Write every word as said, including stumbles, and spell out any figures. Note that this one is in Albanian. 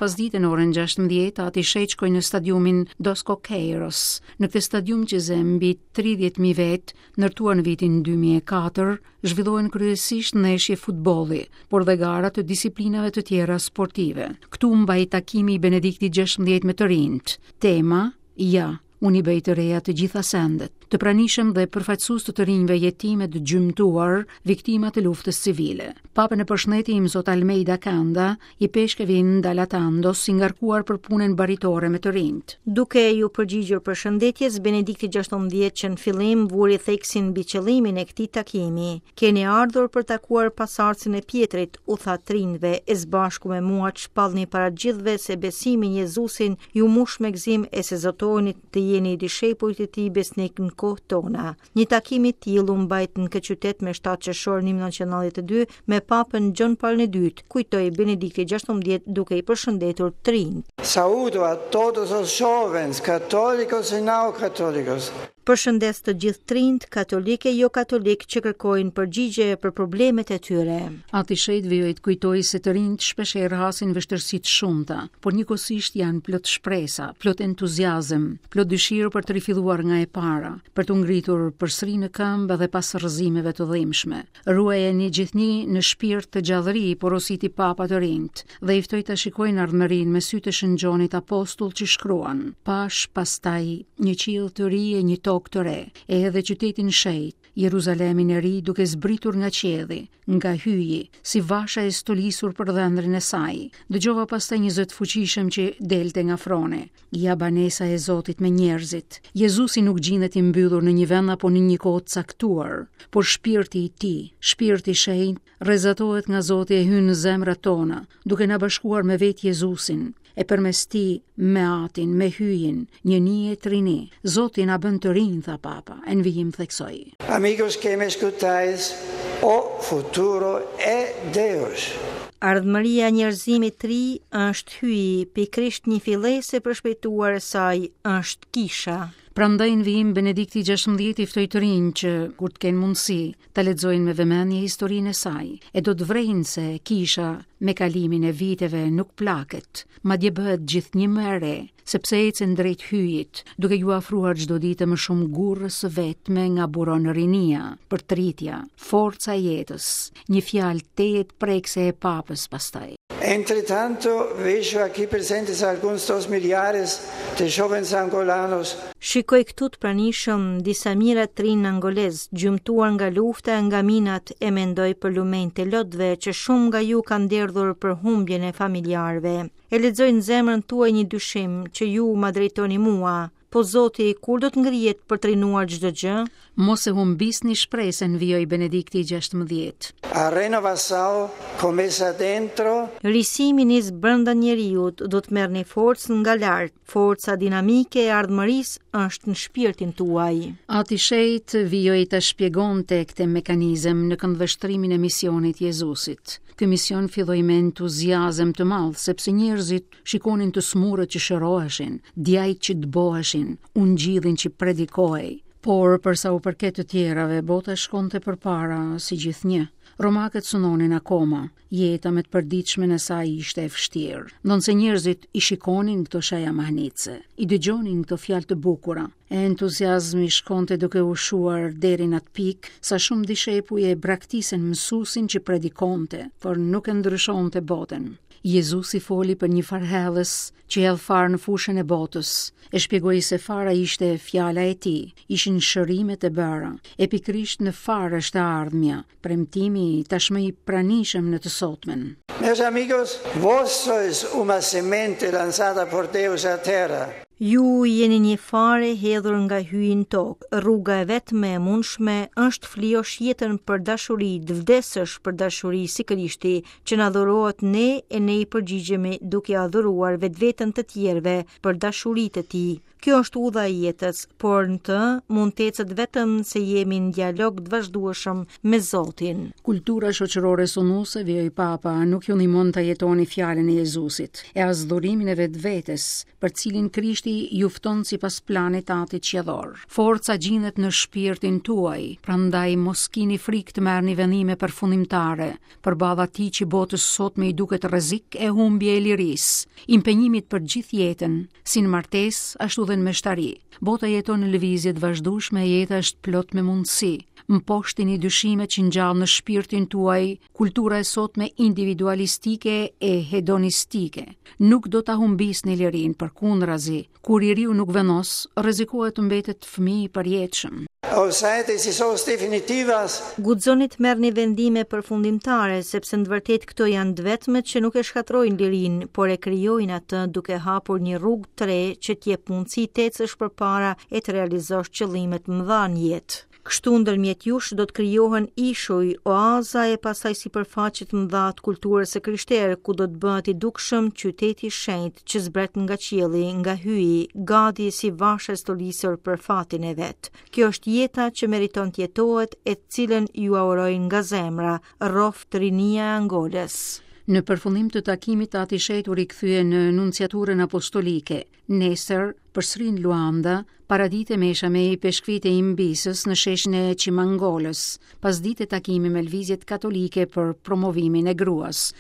pasdite në orën gjashtëmbëdhjetë, Ati i Shenjtë shkoi në stadiumin Dos Coqueiros. Në këtë stadium që zë mbi tridhjetë mijë vetë, ndërtuar në vitin dy mijë e katër, zhvillohen kryesisht ndeshje futbolli, por dhe gara të disiplinave të tjera sportive. Këtu mbaj takimi i Benediktit gjashtëmbëdhjetë me të rinjt. Tema: "Ja, unë i bëj të reja të gjitha sendet." Të pranishëm dhe përfaqësues të të rinjve jetime të gjymtuar, viktima të luftës civile. Papën e përshëndeti Imzot Almeida Kanda, ipeshkëv i Ndalatandos, si ngarkuar për punën baritore me të rinjt. Duke ju përgjigjur përshëndetjes, Benedikti gjashtëmbëdhjetë që në fillim vuri theksin mbi qëllimin e këtij takimi. "Keni ardhur për takuar pasardhësin e Pjetrit", u tha të rinjve, "e së bashku me mua të shpallni para gjithëve se besimi në Jezusin ju mush me gëzim e se zotoheni të jeni dishepujt e tij besnik në kohë tona." Një takim i tillë u mbajt në këtë qytet me shtatë qershor një mijë e nëntëqind e nëntëdhjetë e dy me Papën Gjon Paul i dytë, kujtoi Benedikti gjashtëmbëdhjetë duke i përshëndetur të rinjt. Saúdo a todos os jovens, católicos e não católicos. Përshëndes të gjithë të rinjt, katolik e jo katolik, që kërkojnë përgjigje për problemet e tyre. Ati i Shenjtë vijoi të kujtoi se të rinjt shpeshherë hasin vështirësi të shumta, por njëkohësisht janë plot shpresa, plot entuziazëm, plot dëshirë për të rifilluar nga e para, për të ngritur përsëri në këmbë edhe pas rrëzimeve të dhimbshme. "Ruajeni gjithnjë në shpirt të gjallëri", porositi Papa të rinjt, dhe i ftoi ta shikojnë ardhmërinë me sytë e Shën Gjonit apostull, që shkruan: "Pash pastaj një qiell të ri e një tokë të re, e edhe qytetin shenjt, Jeruzalemin e ri, duke zbritur nga qielli, nga Hyji, si vasha e stolisur për dhëndrin e saj. Dëgjova pastaj një zë të fuqishëm që delte nga froni: Ja banesa e Zotit me njerëzit." Jezusi nuk gjendet i mbyllur në një vend apo në një kohë të caktuar, por shpirti i tij, shpirti i shenjtë, rrezatohet nga Zoti e hyn në zemrat tona, duke na bashkuar me vetë Jezusin, e përmes tij me Atin, me Hyjin, njëni e trini. "Zoti na bën të rinj", tha Papa, e në vijim theksoi: Amigos que me escutáis, o futuro é Deus. Ardhmëria e njerëzimit të ri është Hyji, pikërisht një fillesë e përshpejtuar e saj është kisha. Prandaj në vijim Benedikti gjashtëmbëdhjetë i ftoi të rinj që, kur të kenë mundësi, ta lexojnë me vëmendje historinë e saj, e do të vrejnë se kisha me kalimin e viteve nuk plaket, madje bëhet gjithnjë më e re, sepse ecën drejt Hyjit, duke ju afruar çdo ditë më shumë gurrës së vetme nga buron rinia, përtritja, forca e jetës. Një fjalë tejet prekëse e Papës pastaj. Entretanto, vejo aqui presentes alguns dos milhares de jovens angolanos. Shikoj këtu të pranishëm disa mijëra të rinj angolez, gjymtuar nga lufta e nga minat, e mendoj për lumenjtë e lotëve që shumë nga ju kanë derdhur për humbjen e familjarëve. E lexoj në zemrën tuaj një dyshim që ju ma drejtoni mua. Po Zoti, kur do të ngrihet për të rinuar çdo gjë? "Mos e humbisni shpresën", vijoi Benedikti gjashtëmbëdhjetë. A renovação começa dentro. Risimi nis brenda njeriut, do të merrni forcë nga lart. Forca dinamike e ardhmërisë është në shpirtin tuaj. Ati i Shenjtë vijoi të shpjegonte këtë mekanizëm në këndvështrimin e misionit Jezusit. Ky mision filloi me entuziazëm të madh, sepse njerëzit shikonin të smurët që shëroheshin, djajt që dëboheshin, ungjillin që predikohej. Por për sa u përket të tjerave, bota shkonte përpara si gjithnjë. Romakët sunonin akoma, jeta me të përditshmen e saj ishte e vështirë. Ndonëse njerëzit i shikonin këto shenja mahnitëse, i dëgjonin këto fjalë të bukura, e entuziazmi shkonte duke u shuar deri në atë pikë sa shumë dishepuj e braktisën mësuesin që predikonte, por nuk e ndryshonte botën. Jezusi foli për një farëhedhës që hedh farë në fushën e botës, e shpjegoi se fara ishte fjala e tij, ishin shërimet e bëra, e pikërisht në farë është e ardhmja, premtimi tashmë i pranishëm në të sotmen. Meus amigos, vós sois uma semente lançada por Deus à terra. Ju jeni një fare hedhur nga Hyji në tokë. Rruga e vetme e mundshme është flijosh jetën për dashuri, të vdesësh për dashuri si Krishti, që na dhurohet ne e ne i përgjigjemi duke adhuruar vetveten të tjerëve për dashuri të tij. Kjo është udha e jetës, por në të mund të ecet vetëm se jemi në dialog të vazhdueshëm me Zotin. Kultura shoqërore sunuse, vijoi Papa, nuk ju ndihmon të jetoni fjalën e Jezusit, e as dhurimin e vetvetes, për cilin Krishti ju fton sipas planit të Atit Qiellor. Forca gjendet në shpirtin tuaj, prandaj mos kini frikë të merrni vendime përfundimtare, përballë atij që botës sotme i duket rrezik e humbje e lirisë, impenjimit për gjithë jetën, si në martesë ashtu dhe në meshtari. Bota jeton në lëvizje të vazhdueshme e jeta është plot me mundësi. Mposhtini dyshimet që ngjall në shpirtin tuaj kultura e sotme individualistike e hedonistike. Nuk do ta humbisni lirinë, përkundrazi, kur i riu nuk vendos, rrezikohet të mbetet fëmijë i përjetshëm. Ousai decisões definitivas. Guxoni të merrni vendime përfundimtare, sepse në të vërtetë këto janë të vetmet që nuk e shkatërrojnë lirinë, por e krijojnë atë duke hapur një rrugë të re që të jep mundësi të ecësh përpara e të realizosh qëllime të mëdha në jetë. Kështu ndërmjet jush do të krijohen ishuj, oaza e pastaj sipërfaqe të mëdha të kulturës së krishterë, ku do të bëhet i dukshëm qyteti i shenjtë që zbret nga qielli, nga hyji, gati si vashë e stolisur për fatin e vet. Kjo është jeta që meriton të jetohet e të cilën ju uroj nga zemra, rroftë rinia e Angolës. Në përfundim të takimit, Ati i Shenjtë u rikthye në nunciaturën apostolike. Nesër, përsëri në Luanda, paradite mesha me ipeshkvit e Imbisës në sheshin e Çimangolës, pasdite takimi me lëvizjet katolike për promovimin e gruas.